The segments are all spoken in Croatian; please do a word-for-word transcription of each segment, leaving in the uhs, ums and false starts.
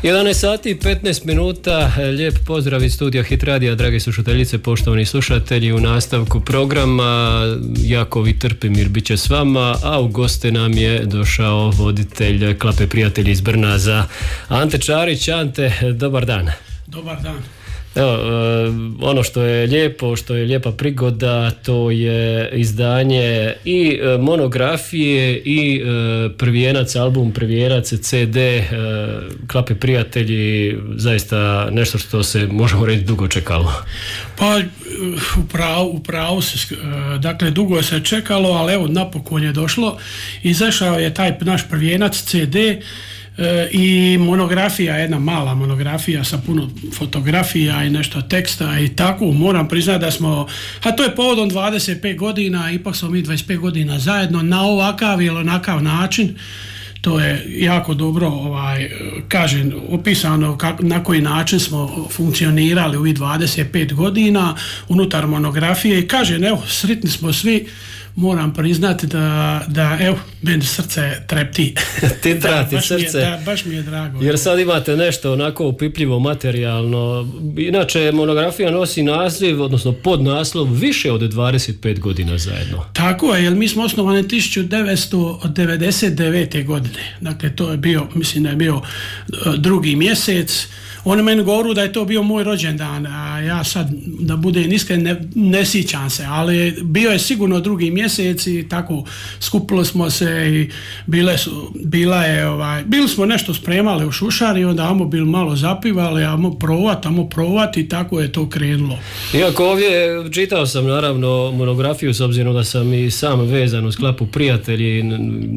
jedanaest sati i petnaest minuta, lijep pozdrav iz studija Hit Radija, drage slušateljice, poštovani slušatelji. U nastavku programa Jakovi Trpimir bit će s vama, a u goste nam je došao voditelj Klape prijatelji iz Brnaza, Ante Čarić. Ante, dobar dan. Dobar dan. Evo, ono što je lijepo, što je lijepa prigoda, to je izdanje i monografije i prvijenac, album prvijenac, ce de Klape prijatelji, zaista nešto što se, možemo reći, dugo čekalo. Pa upravo, upravo se, dakle dugo se čekalo, ali evo napokon je došlo. Izašao je taj naš prvijenac ce de i monografija, jedna mala monografija sa puno fotografija i nešto teksta i tako. Moram priznati da smo, a to je povodom dvadeset pet godina, ipak smo mi dvadeset pet godina zajedno na ovakav ili onakav način. To je jako dobro, ovaj, kažem, opisano kak, na koji način smo funkcionirali u ovih dvadeset pet godina unutar monografije i kažem, evo, sretni smo svi. Moram priznati da, da evo, meni srce trepti. Ti trati da, srce. Je, da, baš mi je drago. Jer sad imate nešto onako upipljivo materijalno. Inače, monografija nosi naziv, odnosno podnaslov, više od dvadeset pet godina zajedno. Tako je, jer mi smo osnovani tisuću devetsto devedeset devete godine. Dakle, to je bio, mislim da je bio drugi mjesec. Oni meni govoru da je to bio moj rođendan, a ja sad, da budem iskren, ne, ne sjećam se, ali bio je sigurno drugi mjesec i tako skupili smo se i bile su, bila je, ovaj, bili smo nešto spremali u šušari, onda amo bili malo zapivali, amo provat, amo provat i tako je to krenulo. Iako ovdje čitao sam naravno monografiju, s obzirom da sam i sam vezan uz Klapu prijatelji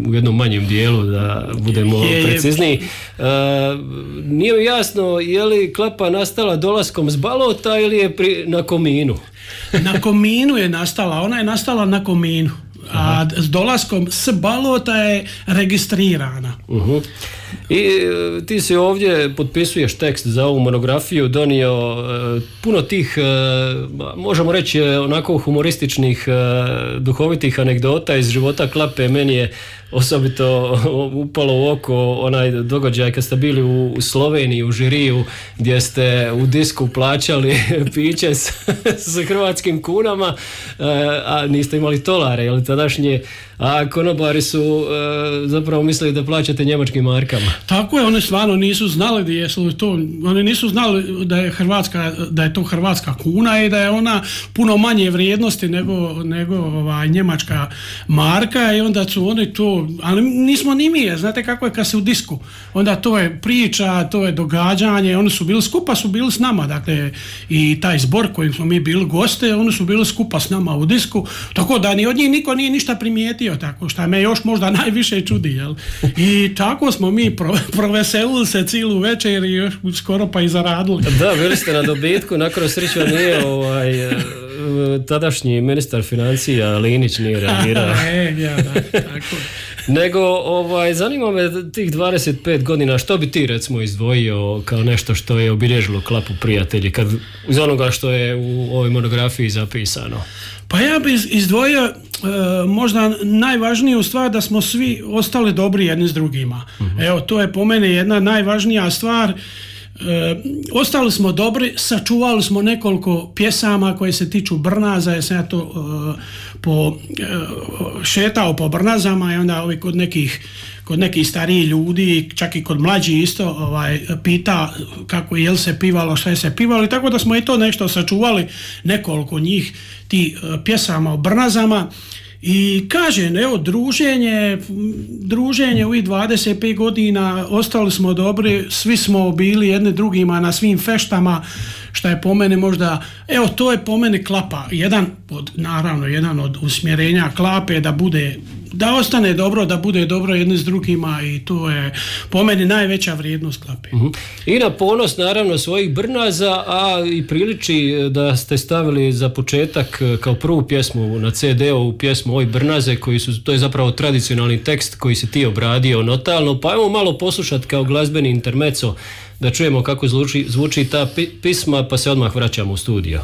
u jednom manjem dijelu, da budemo je, precizniji. Uh, nije mi jasno je li Klapa nastala dolaskom s Balota ili je pri, na Kominu? Na Kominu je nastala, ona je nastala na Kominu, a s dolaskom s Balota je registrirana. Uh-huh. I ti si ovdje potpisuješ tekst za ovu monografiju, donio uh, puno tih, uh, možemo reći, onako humorističnih, uh, duhovitih anegdota iz života Klape. Meni je osobito upalo u oko onaj događaj kad ste bili u, u Sloveniji, u žiriju, gdje ste u disku plaćali piće s, s hrvatskim kunama, uh, a niste imali tolare, jel tadašnje, a konobari su uh, zapravo mislili da plaćate njemačkim markama. Tako je, oni stvarno nisu znali da jesu to, oni nisu znali da je Hrvatska, da je to hrvatska kuna i da je ona puno manje vrijednosti nego, nego ovaj, njemačka marka i onda su oni to, ali nismo ni mi, znate kako je kad se u disku, onda to je priča, to je događanje, oni su bili skupa, su bili s nama, dakle i taj zbor kojim smo mi bili goste, oni su bili skupa s nama u disku, tako da ni od njih niko nije ništa primijetio, tako što me još možda najviše čudi, jel? I tako smo mi pro, proveselili se cijelu večer i još skoro pa i zaradili. Da, bili ste na dobitku, nakon sreću nije ovaj, tadašnji ministar financija Linić nije reagirao. e, ja, da, tako. Nego, ovaj, zanima me tih dvadeset pet godina, što bi ti recimo izdvojio kao nešto što je obilježilo Klapu prijatelji, kad, iz onoga što je u ovoj monografiji zapisano? Pa ja bih izdvojio e, možda najvažniju stvar da smo svi ostali dobri jedni s drugima. Uh-huh. Evo, to je po mene jedna najvažnija stvar. E, ostali smo dobri, sačuvali smo nekoliko pjesama koje se tiču Brnaza, jer sam ja to e, po, e, šetao po Brnazama i onda ovi kod nekih kod nekih starijih ljudi, čak i kod mlađi isto ovaj, pita kako je se pivalo, šta je se pivalo i tako da smo i to nešto sačuvali, nekoliko njih ti uh, pjesama o Brnazama i kažem, evo, druženje druženje u ovih dvadeset pet godina, ostali smo dobri, svi smo bili jedni drugima na svim feštama, što je po mene možda, evo, to je po mene Klapa, jedan od, naravno, jedan od usmjerenja Klape da bude, da ostane dobro, da bude dobro jedni s drugima i to je po meni najveća vrijednost Klape. Uh-huh. I na ponos naravno svojih Brnaza, a i priliči da ste stavili za početak kao prvu pjesmu na ce de-u pjesmu Oj Brnaze, koji su, to je zapravo tradicionalni tekst koji si ti obradio notalno, pa evo malo poslušati kao glazbeni intermezzo da čujemo kako zvuči, zvuči ta pisma, pa se odmah vraćamo u studio.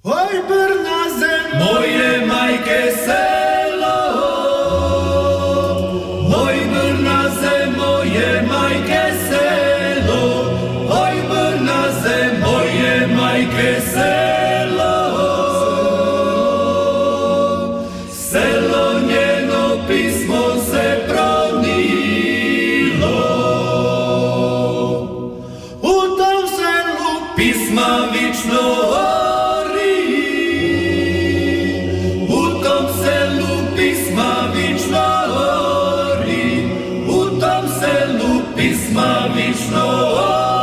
Oj Brnaze moje majke selo, oj Brnaze moje majke majke selo, oj Brnaze, moje majke selo. Selo njeno pismo se pronilo, u tom selu pisma vično ori, u tom selu pisma vično ori, u tom selu pisma vično ori.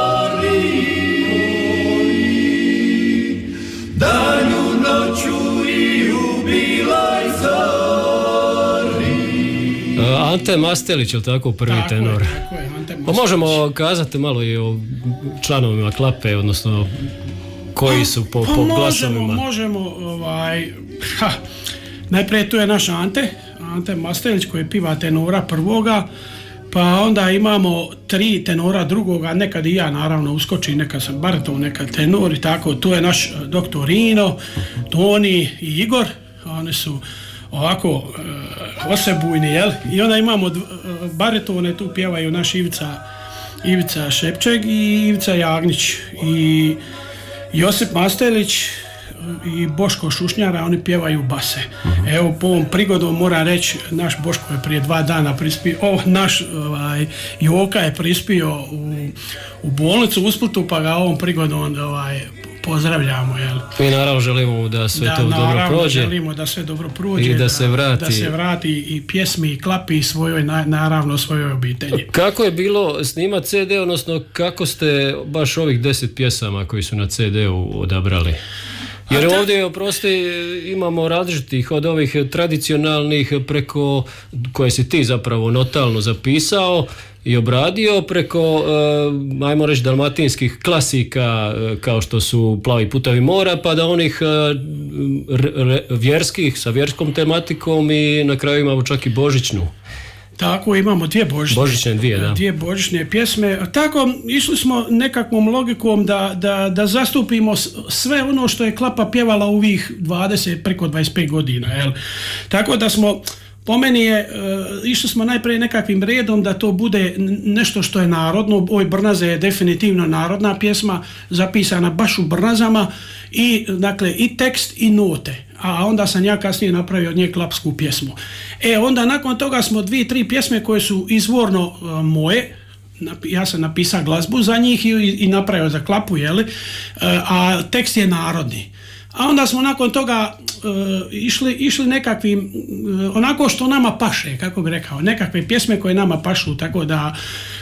Danju, noću i u biloj zori. Ante Mastelić, je tako, prvi tako tenor? Je, tako je, Ante Mastelić. Pa možemo kazati malo i o članovima Klape, odnosno koji su po, pa po možemo, glasovima. Možemo, ovaj, ha, najprije tu je naš Ante, Ante Mastelić koji piva tenora prvoga, pa onda imamo tri tenora drugoga, nekad i ja naravno uskočim, nekad sam bariton, nekad tenor i tako, tu je naš doktor Rino, Toni i Igor, oni su ovako e, osebujni, jel? I onda imamo dv, baritone, tu pjevaju naš Ivica, Ivica Šepčeg i Ivica Jagnić i Josip Mastelić i Boško Šušnjara, oni pjevaju base. Uh-huh. Evo, po ovom prigodom moram reći, naš Boško je prije dva dana prispio, oh, naš ovaj, Joka je prispio u, u bolnicu u Splitu, pa ga ovom prigodom ovaj, pozdravljamo. Jel? Mi naravno želimo da sve da, to dobro prođe. želimo da sve dobro prođe i da, da, se vrati. da se vrati i pjesmi i Klapi svojoj, naravno svojoj obitelji. Kako je bilo snimati ce de, odnosno kako ste baš ovih deset pjesama koji su na ce de-u odabrali? Jer ovdje, oprosti, imamo različitih od ovih tradicionalnih preko koje si ti zapravo notalno zapisao i obradio, preko, eh, ajmo reći, dalmatinskih klasika eh, kao što su Plavi putevi mora, pa da onih eh, re, vjerskih sa vjerskom tematikom i na kraju imamo čak i božićnu. Tako, imamo dvije božićne, božićne dvije, da. dvije božićne pjesme. Tako, išli smo nekakvom logikom da, da, da zastupimo sve ono što je Klapa pjevala u ovih dvadeset, preko dvadeset pet godina. Jel? Tako da smo, po meni je, uh, išli smo najprije nekakvim redom da to bude nešto što je narodno. Oj Brnaze je definitivno narodna pjesma, zapisana baš u Brnazama i, dakle, i tekst i note. A onda sam ja kasnije napravio od nje klapsku pjesmu. E, onda nakon toga smo dvije, tri pjesme koje su izvorno uh, moje, ja sam napisao glazbu za njih i, i napravio za Klapu, jeli? Uh, a tekst je narodni. A onda smo nakon toga uh, išli, išli nekakvim, uh, onako što nama paše, kako bi rekao, nekakve pjesme koje nama pašu, tako da,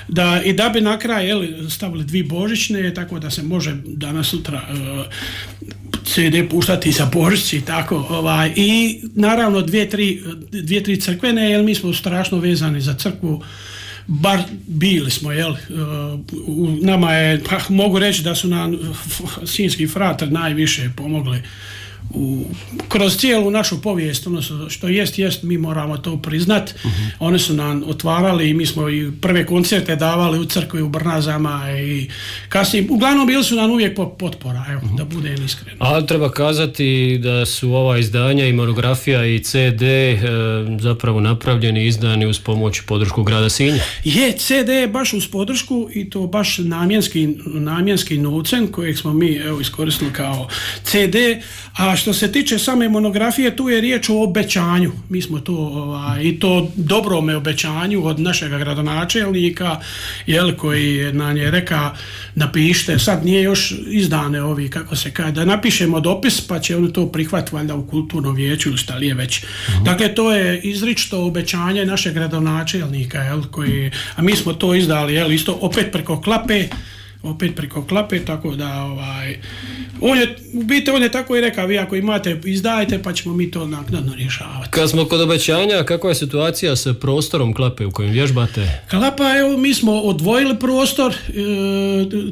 da i da bi na kraj, jeli, stavili dvije božićne, tako da se može danas sutra uh, ce de puštati sa božićci, tako, ovaj, i naravno dvije, tri, dvije, tri crkvene, jer mi smo strašno vezani za crkvu, bar bili smo, jel, uh, nama je, pa mogu reći da su nam sinjski frater najviše pomogli u, kroz cijelu našu povijest, ono što jest, jest, mi moramo to priznat. Uh-huh. Oni su nam otvarali i mi smo i prve koncerte davali u crkvi u Brnazama i kasnije, uglavnom bili su nam uvijek potpora, evo, uh-huh. da budem iskren. Ali treba kazati da su ova izdanja i monografija i ce de e, zapravo napravljeni i izdani uz pomoć i podršku grada Sinja. Je, ce de je baš uz podršku i to baš namjenski, namjenski novcem kojeg smo mi, evo, iskoristili kao ce de, a što se tiče same monografije, tu je riječ o obećanju. Mi smo to, ovaj, i to dobrome obećanju od našeg gradonačelnika, jel, koji nam je reka napišite, sad nije još izdane ovi, kako se kaže, da napišemo dopis pa će oni to prihvatiti valjda u kulturnom vijeću ili šta li je već. Uh-huh. Dakle, to je izričito obećanje našeg gradonačelnika, jel, koji, a mi smo to izdali, jel, isto opet preko Klape, opet preko Klape, tako da ovaj, on je, u biti on je tako i rekao, vi ako imate izdajte pa ćemo mi to naknadno rješavati. Kad smo kod obećanja, kakva je situacija sa prostorom Klape u kojem vježbate? Klapa, evo, mi smo odvojili prostor, e,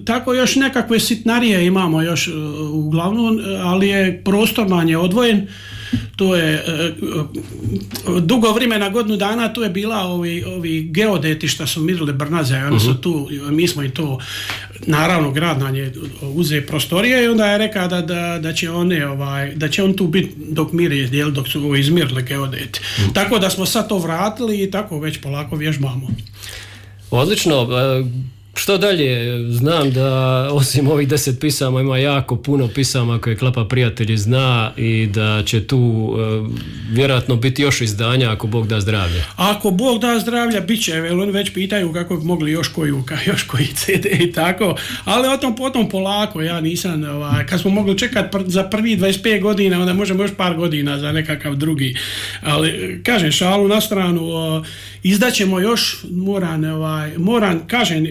tako još nekakve sitnarije imamo još e, uglavnom, ali je prostor nam je odvojen. To je e, dugo vremena, godinu dana, tu je bila ovi, ovi geodeti što su mirili Brnaze, oni su tu, mi smo i to, naravno grad nam je uze prostorije i onda je rekao da, da, da će one, ovaj, da će on tu biti dok miri, jel, dok su izmirili geodeti. Mm. Tako da smo sad to vratili i tako već polako vježbamo. Odlično. Što dalje? Znam da osim ovih deset pisama ima jako puno pisama koje Klapa prijatelji zna i da će tu e, vjerojatno biti još izdanja ako Bog da zdravlja. Ako Bog da zdravlja, bit će, jer oni već pitaju kako bi mogli još koju, još koji ce de i tako, ali o tom potom polako, ja nisam, ovaj, kad smo mogli čekati pr- za prvi dvadeset pet godina, onda možemo još par godina za nekakav drugi, ali kažem, šalu na stranu, o, izdaćemo još, moram, ovaj, moram, kažem,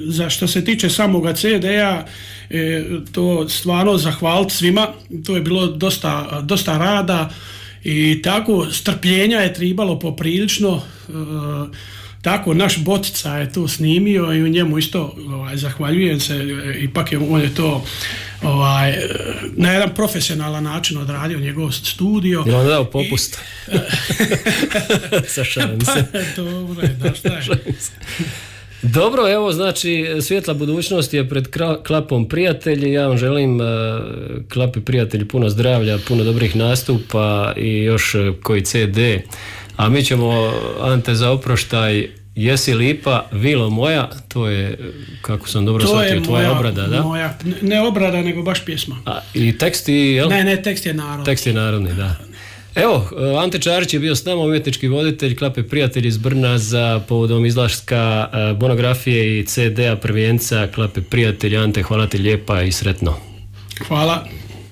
za što se tiče samoga ce de-a, e, to stvarno zahvaliti svima, to je bilo dosta, dosta rada i tako strpljenja je tribalo poprilično, e, tako naš Botica je to snimio i u njemu isto ovaj, zahvaljujem se, ipak je, on je to ovaj, na jedan profesionalan način odradio njegov studio. Je on dao popust? Sašalim se. Pa, dobro je, da šta je. Dobro, evo znači svjetla budućnost je pred Klapom prijatelji. Ja vam želim uh, Klapi prijatelji puno zdravlja, puno dobrih nastupa i još uh, koji ce de. A mi ćemo, Ante, za oproštaj Jesi lipa, Vilo moja, to je, kako sam dobro shvatio, tvoja obrada, da? Moja, ne obrada, nego baš pjesma. A, i tekst i, jel? Ne, ne, tekst je narodni. Tekst je narodni, da. Evo, Ante Čarić je bio s nama, umjetnički voditelj Klape prijatelji iz Brna za povodom izlaska monografije i ce de-a prvenca Klape prijatelji. Ante, hvala ti lijepa i sretno. Hvala.